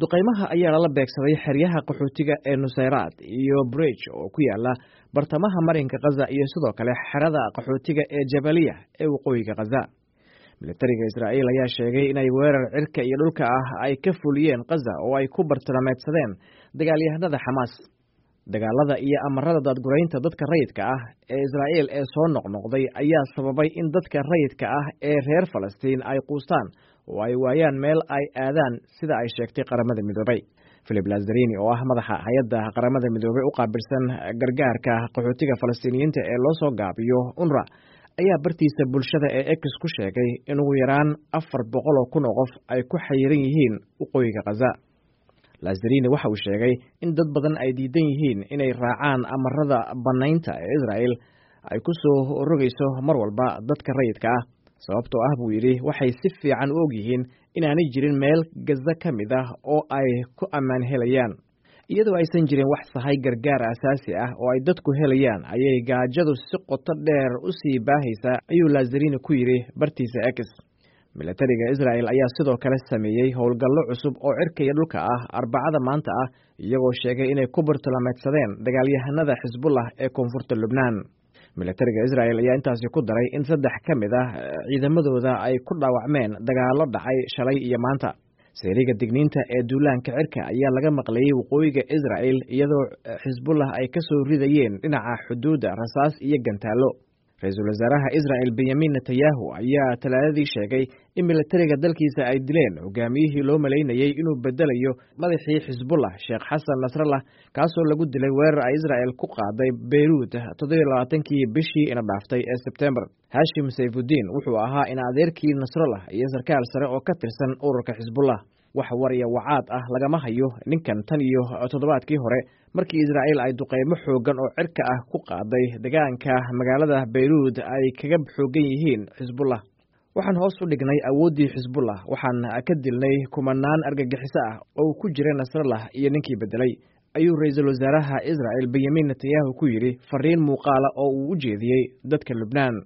Duqaymaha ayaa lala beegsaday xeryaha qaxootiga ee Nusayraad iyo Bridge oo ku yaala bartamaha marinka Khaza iyo sidoo kale xerada qaxootiga ee Jabaliya ee waqooyiga Khaza. Militariga Israa'iil ayaa sheegay inay weerar cirka iyo dhulka ah ay ka fuliyeen Khaza oo ay ku bartilmaameedsadeen dagaalyahanada Xamaas. Dagaalada iyo amarada daadguraynta dadka rayidka ah ee Israa'iil ee soo noqnoqday ayaa sababay in dadka rayidka ah ee reer Falastiin ay quustaan oo ay waayaan meel ay aadaan, sida ay sheegtay Qaramada Midoobay. Philip Lazarini oo ah madaxa hay-adda Qaramada Midoobay u qaabilsan gargaarka qaxootiga Falastiiniyiinta ee loo soo gaabiyo UNRWA ayaa bartiisa bulshada ee X ku sheegay in ugu yaraan 400,000 oo qof ay ku xayiran yihiin waqooyiga Khaza. Lazarini waxa uu sheegay in dad badan ay diidan yihiin inay raacaan amarada bannaynta ee Israa'iil ay ku soo rogayso mar walba dadka rayidka ah, sababtoo ah, buu yidhi, waxay si fiican u og yihiin inaanay jirin meel Gaza ka mid ah oo ay ku ammaan helayaan. Iyadoo aysan jirin wax sahay gargaar aasaasi ah oo ay dadku helayaan ayay gaajadu si qoto dheer u sii baahaysaa, ayuu Lazarini ku yidhi bartiisa X. Militariga Israa'el ayaa sidoo kale sameeyey howlgallo cusub oo cirka iyo dhulka ah Arbacada maanta ah, iyagoo sheegay inay ku bartilmaameedsadeen dagaalyahanada Xisbullah ee koonfurta Lubnaan. Militariga Israa'el ayaa intaasi ku daray in saddex ka mid ah ciidamadooda ay ku dhaawacmeen dagaallo dhacay shalay iyo maanta. Seeriga digniinta ee duulaanka cirka ayaa laga maqlayey waqooyiga Israa'el, iyadoo Xisbullah ay ka soo ridayeen dhinaca xuduudda rasaas iyo gantaallo. Ra-iisul wasaaraha Israa'el Benyamin Netanyahu ayaa Talaadadii sheegay in militariga dalkiisa ay dileen hogaamiyihii loo malaynayey inuu bedelayo madaxii Xisbullah, Sheekh Xasan Nasrallah, kaasoo lagu dilay weerar ay Israa'el ku qaaday Beyruut 27-kii bishii ina dhaaftay ee Sebtembar. Hashim Sayfudiin wuxuu ahaa in adeerkii Nasrallah iyo sarkaal sare oo ka tirsan ururka Xisbullah. Wax war iyo wacaad ah lagama hayo ninkan tan iyo toddobaadkii hore, markii Israa'iil ay duqeymo xooggan oo cirka ah ku qaaday deegaanka magaalada Beyruut ay kaga xooggan yihiin Xisbullah. Waxaan hoos u dhignay awooddii Xisbullah, waxaan ka dilnay kumanaan argagixiso ah oo ku jira Nasrallah iyo ninkii beddelay, ayuu ra-iisul wasaaraha Israa'el Benyamin Netanyahu ku yidhi fariin muuqaala oo uu u jeediyey dadka Lubnaan.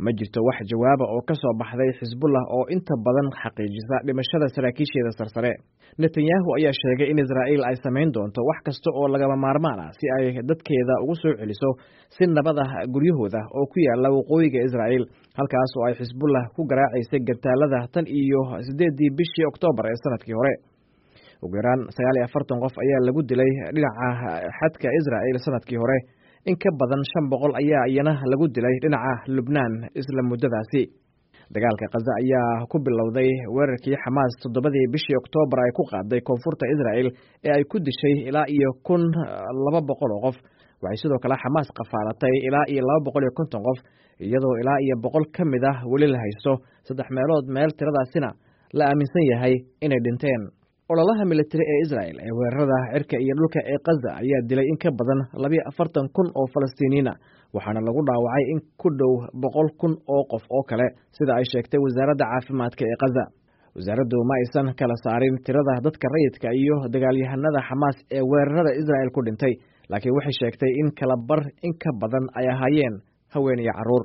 Ma jirto wax jawaaba oo ka soo baxday Xisbullah oo inta badan xaqiijisa dhimashada saraakiisheeda sarsare. Netanyahu ayaa sheegay in Israa'iil ay samayn doonto wax kasta oo lagama maarmaan ah si ay dadkeeda ugu soo celiso si nabad ah guryahooda oo ku yaala waqooyiga Israa'iil, halkaas oo ay Xisbullah ku garaacaysay gantaalada tan iyo 8-dii bishii Oktoobar ee sanadkii hore. Ugu yaraan 49 qof ayaa lagu dilay dhinaca xadka Israa'iil sanadkii hore. In ka badan 500 ayaa iyana lagu dilay dhinaca Lubnaan isla muddadaasi. Dagaalka Khaza ayaa ku bilowday weerarkii Xamaas 7-dii bishii Oktoobar ay ku qaaday koonfurta Israa'el ee ay ku dishay ilaa iyo 1,200 oo qof. Waxay sidoo kale Xamaas qafaalatay ilaa iyo 250 qof, iyadoo ilaa iyo 100 ka mid ah weli la haysto, saddex meelood meel tiradaasina la aaminsan yahay inay dhinteen. Ololaha militari ee Israa'el ee weerarada cirka iyo dhulka ee Khaza ayaa dilay in ka badan 42,000 oo Falastiiniyiin ah, waxaana lagu dhaawacay in ku dhow 100,000 oo qof oo kale, sida ay sheegtay wasaaradda caafimaadka ee Khaza. Wasaaraddu ma aysan kala saarin tirada dadka rayidka iyo dagaalyahanada Xamaas ee weerarada Israa'el ku dhintay, laakiin waxay sheegtay in kala bar in ka badan ay ahaayeen haween iyo carruur.